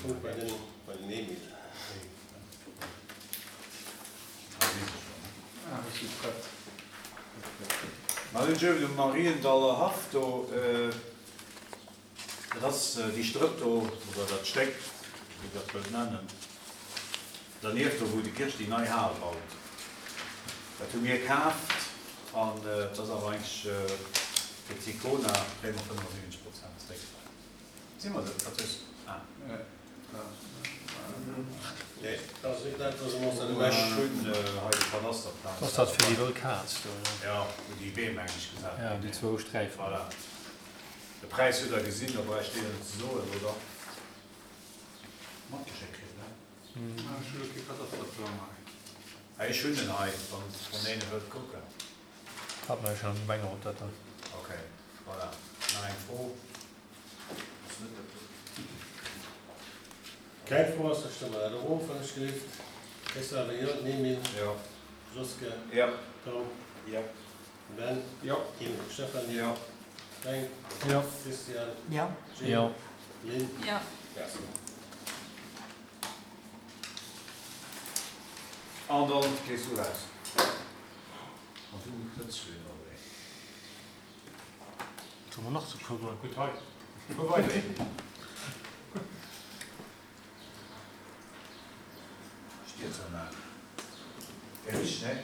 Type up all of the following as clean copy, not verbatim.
Funk bei den, bei den Emil. Mä hunn ech um Mariendaller Haff do, dat ass déi Strëpp do, oder dat Stéck, wéi Der dat wëllt nennen, dernieft do, wou de Kirch déi nei Hal baut. Dat hu mir kaaft an et ass awer eigentlech fir d'Sicona, kréie mer 75 Prozent zréck. Si mer dat? Wat hues Ah. Nee, dat ass net dat, wat se ons da Ech hunn hei de Kadasterplan. Ass dat fir déi wëll Kaz do? Jo, wou déi Beem eigentlech gesat ginn. Ja, déi zwou Sträifen. Voilà. De Präis hutt Der gesinn, da bräicht Dir net ze soen, oder? Matgeschéckt kritt, ne? Ech hu lo kee Kadasterplan hei. Ech hunn en hei, wann een e wëllt kucken. Hat mer jo schon am Gemengerot dat dann. Ok, voilà. Nach eng Fro? Keng Fro ass, da stëmme mer dat erof, wann ech gelift. Christophe, Jo. Emil? Jo. Joske? Jo. Tom? Jo. Ben? Jo. Kim? Stéphanie? Jo. Fränk? Jo. Christian? Jo. Jill? Jo. Lynn? Jo. Merci. An dann gees du raus. An du net zu ënnerwee. Soll mer nach zu puer goen? Gutt hei. Fuer weider. Stierzanlag. Wär richteg, ne?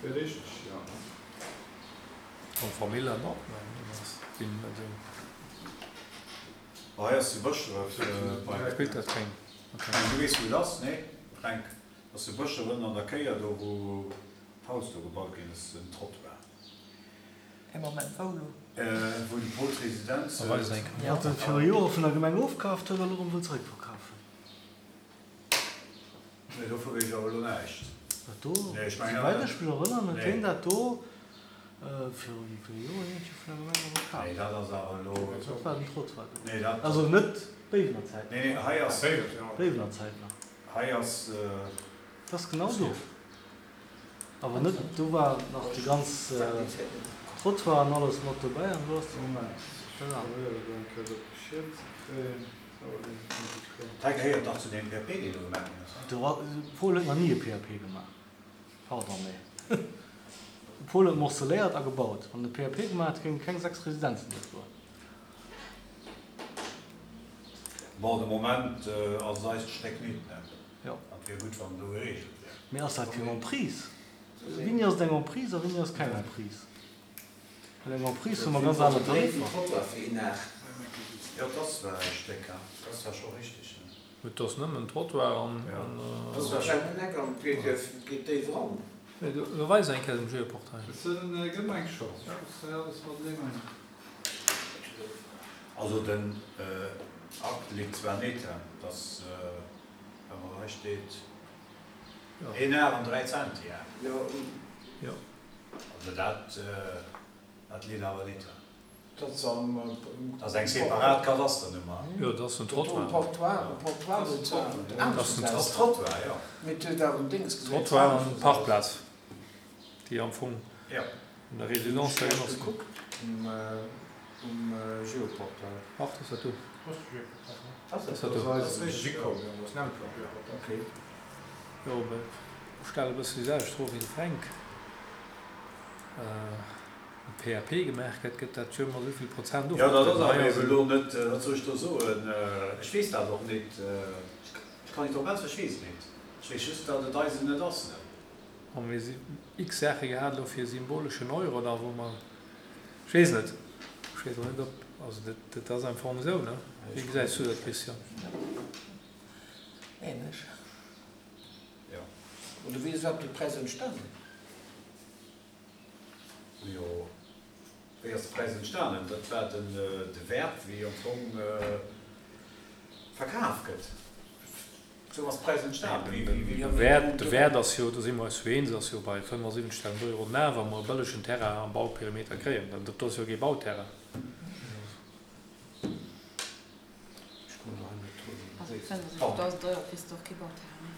Wär richteg, jo. An Famill an och, mä ass sinn net esou. Hei ass de Bëschdref bei. Spillt dat keng? Okay. Du weess wou et ass, ne Fränk? Ass de Bëschdref ënnen an der Kéier do wou d'Haus do gebaut ginn ass, den Trottoir. Ee Moment, wou elo? Wou de Paul d'Residenz huet. Wat en viru Jore vun der Gemeng ofkaaft huet a lo rëm wëll zeréckverkafen. Nee, dovu weess ech awer elo näischt. Dat do, Nee, ech mengen souwäit awer. ech mech erënneren, huet Nee. hien dat do viru wéi ville Joren iergendwéi vun der Gemeng erëm kaf. Nee, dat ass awer elo. Dat war den Trottoir do. Nee, dat. Also net Béiwener Zäit. Nee, nee, hei ass. Béiwener Zäit nach. Hei ass. Dat ass genau do. Awer net, do war nach de ganz Trottoir an alles mat dobäi an do ass de Moment, ech probéiere do eng Kéier dat Geschier ze kréien. Dat gehéiert dach zu deem PAP, deen do gemaach ginn ass, De Paul huet nach ni e PAP gemaach. Pardon, mee de Paul huet morceléiert a gebaut. Wann en e PAP gemaach hätt, géinge keng 6 Residenzen do stoen. Bon, de Moment ass et eist Stéck nit, ne? Jo. An et wier gutt, wann do gereegelt wär. Mee ass dat keng Emprise? Wéini ass et eng Emprise a wéini ass keng Emprise? Well eng Emprise hu mer ganz aner Tariffer. Jo, et ass zwar e Stéck, hein, et ass zwar scho richteg, ne? Et ass nëmmen Trottoir an. Jo, et ass zwar scho. Geet déif eran. Lo weis eng Kéier dem Geoportail. Et gëtt mer eng Chance, ech muss hei alles mateneen hunn. Also den Akt litt zwar nit, hein, dass. Awer hei steet een Ar an 3 Centi, hein? Jo. Also dat, dat litt awer nit. Dat ass am. Dat ass eng separat Kadasternummer. Jo, dat ass den Trottoir. Um Portoir, um Portoir sozusagen. Dat ass Trottoir, jo. Mee et huet awer en Déngs gesot. Trottoir an Parkplaz, déi am Fong Jo. un der Résidence da genoss ginn. Kuckt um Geoportail. Ach, dat ass dat do. Ass dat do? Jo, mä ech stelle e bësse déi selwecht Fro wéi de Fränk. E PAP gemaach gëtt, gëtt dat jo ëmmer esou vill Prozent Jo, dat ass ofgedroen. awer eben elo net, wat soll ech do soen, ech weess dat och net, ech kann net drop äntweren, ech weess et net. Ech weess just, datt et eisen net ass. Hu mir x Saache gehat elo fir e symboleschen Euro da wou mer, ech weess net, ech weess och net ob, also dat, dat ass am Fong esou, ne? Wéi gesäis du dat, Christian? Ähnlech. Jo. Oder wéi ass iwwerhaapt dee Präis entstanen? Jo, wéi ass de Präis entstanen? Dat war den, de Wäert wéi am Fong verkaf gëtt. Sou ass Präis entstanen. De Wäert ass jo, do si mer eis jo eens, ass jo bei 75.000 Euro den Ar, wa mer e bëllegen Terrain am Bauperimeter kréien. Dat do ass jo kee Bauterrain. Also 75.000 Euro kriss de och kee Bauterrain méi.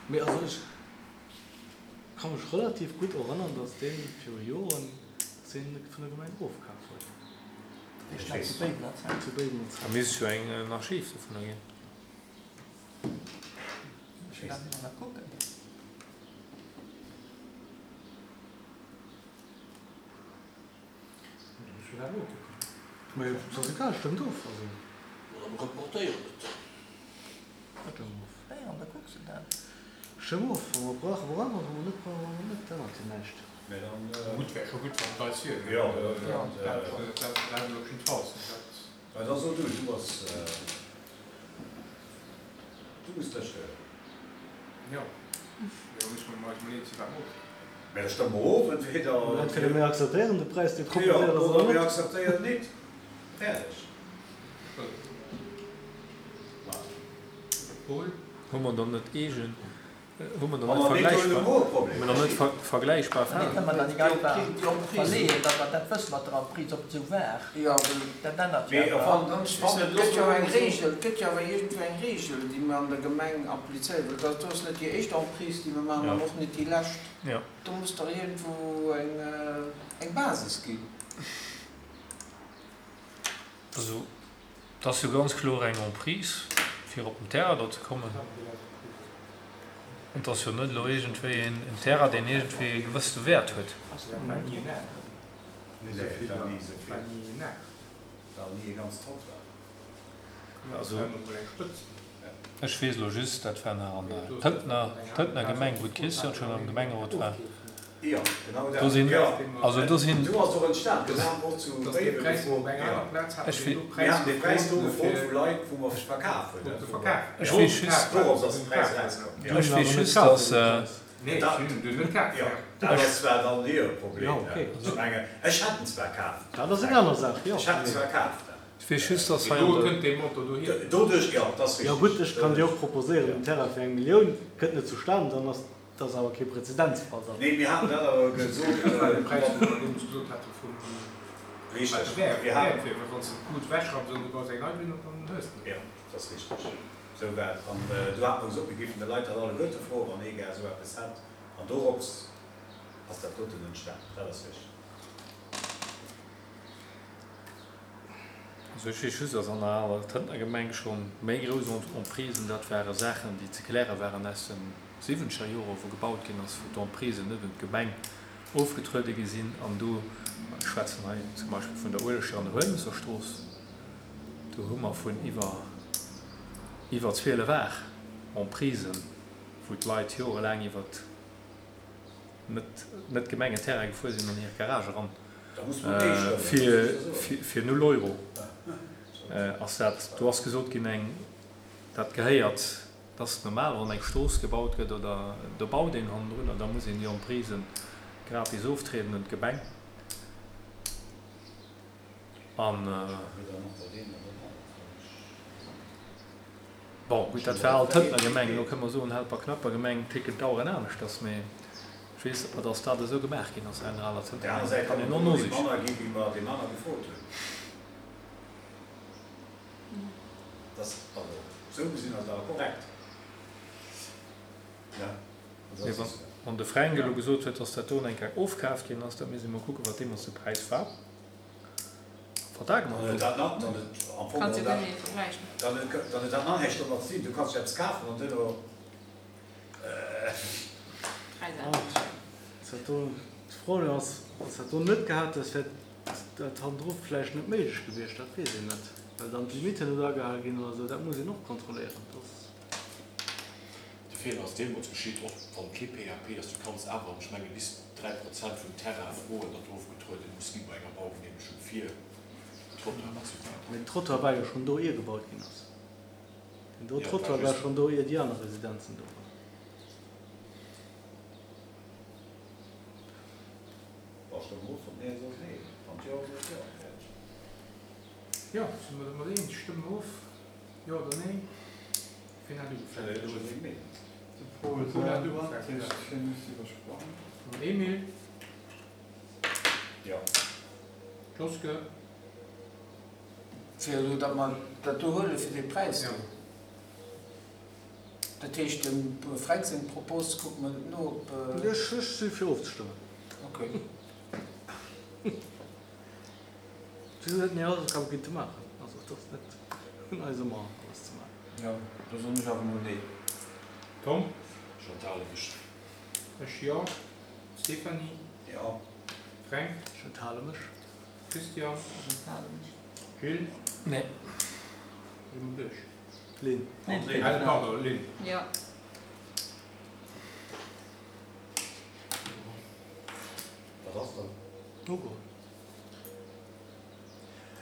Mee also ech ka mech relativ gutt erënnern, datt dee viru Joren, datt deen vun der Gemeng ofkaf huet. Ech weess. Zu Béiwener Zäit. Zu Béiwener Zäit. Da misst jo eng Archiv dovunner ginn. Ech wéll dat emol nach kucken. Mee et ass egal, stëmmt of. Also. Oder mer reportéieren et. Stëmm of. Wéi, an da kucks de dat. Stëmm of, wa mer brauchen, brauche mer, wa mer net brauchen, brauche mer net. Dat ännert jo näischt. Mee dann. Gutt, wär scho gutt, wann et eis wier. Jo, dat, dat, dat op jiddefalls. Dat. Mä da so du, du bass. Du muss dech. Jo, mee da musse mer eis mol eens sinn, wat mer ofstëmmen. Mä da stëmme mer of, entweder. Entweder mir akzeptéieren de Präis, dee proposéiert ass, oder net. Oder mir akzeptéieren nit. Fäerdeg. Paul? Hu mer dann net eegen. Hu mer dann net vergläichbar, hu mer dann net vergläichbar Fäll? Kënne mer dann nik einfach verleeën, datt mer dat wësse mat der Emprise, ob et esou war? Dat ännert jo awer. Et gëtt jo eng Regel, et gëtt jo awer iergendwou eng Regel, déi mer an der Gemeng applizéieren, well dat do ass net déi éischt Emprise, déi mer maachen an och net déi lescht. Do muss dach iergendwou eng Basis ginn. Also, Et ass jo ganz kloer eng Emprise, fir op den Terrain do ze kommen. Et ass jo net elo iergendwéi en Terrain, deen iergendwéi e gewëssene Wäert huet. Also, ech weess elo just, dat war nach an der Tëntner, Tëntner Gemeng, wou d'Christiane schonn am Gemengerot war. Jo, genau dat. Do sinn, also do sinn. Do ass och entstan, do waren och zu Béiwen gefrot, mir haten dee Präis do gefrot vu Leit, wou mer verkaf hunn. Ech weess just. Dorops ass de Präis erauskomm. Ech weess just, dass. Jo, dat ass zwar dann hire Problem. Ech mengen, ech hätt en zwar kaf. Dat ass eng aner Saach, jo. Ech hätt en zwar kaf. Ech weess just, dass hei an der. Doduerch, jo, dat ass Jo richteg. gutt, ech kann dir och proposéieren, en Terrain fir eng Millioun kënnt net zustan, dann ass Dat ass awer kee Präzedenzfall dann. Nee, mir haten dat awer gesot. Dat war de Präis, wou mer deemools gesot hate vum. Richteg. Mir haten. Wann s de d'Lut ewechrapps an du baus eng nei drun op, dann hues de. Jo, dat ass richteg. Esou war et. An do hate mer gesot, mir géifen de Leit dat alleguerte froen, wann ee gär esou eppes hätt. An dorops ass dat doten entstan. Dat ass richteg. Also ech weess just, dass an der aler Tëntner Gemeng scho méi grouss Emprisen, dat ware Saachen, déi ze kläre waren aus de siwwenzeger Jore wou gebaut ginn ass, wou d'Emprisen net un d'Gemeng ofgetruede gi sinn. An do, ech schwätzen hei zum Beispill vun der Uelechter an der Huelmesser Strooss, do hu mer vun iwwer iwwer 12 Ar Emprisen, wou d'Leit jorelaang iwwert net net Gemengenterrain gefuer sinn an hir Garage eran fir fir null Euro ass dat. Do ass gesot ginn eng dat gehéiert, dat ass normal wann eng Strooss gebaut gëtt oder do baut een hannendrun an da muss een déi Emprisen gratis oftrieden un d'Gemeng an. Bon, gutt, dat war alt d'Hëntner Gemeng. Elo kënne mer soen, Helperknapper Gemeng ticken d'Aueren aneschters, mee ech weess awer, datt dat esou gemaach ginn ass hei an der aler Op Tëntner der aner Gemeng. Säit Kann kann een et och och net nosichen. manner gi wéi mer dee manner gefrot hunn. Dat, also esou gesinn ass et awer korrekt. Ja, also Mee dat ass. wann de Fränk elo gesot huet, datt dat do eng Kéier ofkaaft ginn ass, da misst ee mol kucken, wat deemools de Präis war. Vertrag Dann huet dat nach, dann huet am Fong Kanns jo geholl guer net vergläichen. dat, dann huet, dann huet dat nach näischt domat ze dinn. Du kanns jo eppes kafen an duerno. Präis ännert. Ass dat do, d'Fro ass, wann s dat do net gehat häss, wär dat hannendru vläicht net méiglech gewiescht, dat weess een net, well dann d'Limiten net agehale ginn oder esou, dat muss een och kontrolléieren. Dat ass. De Feeler ass deemools geschitt, och wann kee PAP ass, du kanns awer, ech menge bis 3 Prozent vum Terrain froen, datt ofgetrueden muss gi bei enger Baugeneemegung fir Trottoir an esou weider. Mee den Trottoir war jo schonn do ier gebaut ginn ass. Den do Jo, et war Trottoir war just. schonn do ier déi aner Residenzen do waren. Wa stëmm of, wann nee ass, ass nee, wann jo ass, ass jo. Fäerdeg. Jo, si mer domat eens? Stëmme mer of, jo oder nee? Wien hat ugefaangen? De Paul selwer, dat heescht hie muss iwwersprangen. Den Emile. Jo. D'Joske. Fir elo, datt mer dat do huele fir dee Präis do. Dat heescht, dem Fränk seng Propos kucke mer net no, ob. Ech si fir ofzestëmmen. Ok. Si hätten hir Hausaufgabe kinnte maachen. Also et ass net un eis ëmmer alles ze maachen. Jo, do soen ech awer mol nee. Tom? Ech enthale mech. Ech jo. Stéphanie? Jo. Fränk? Ech enthale mech. Christian? Ech enthale mech. Jill? Nee. Si mer duerch? Lynn. Lynn. Pardon, Lynn. Jo. Wat ass dat? Ugeholl.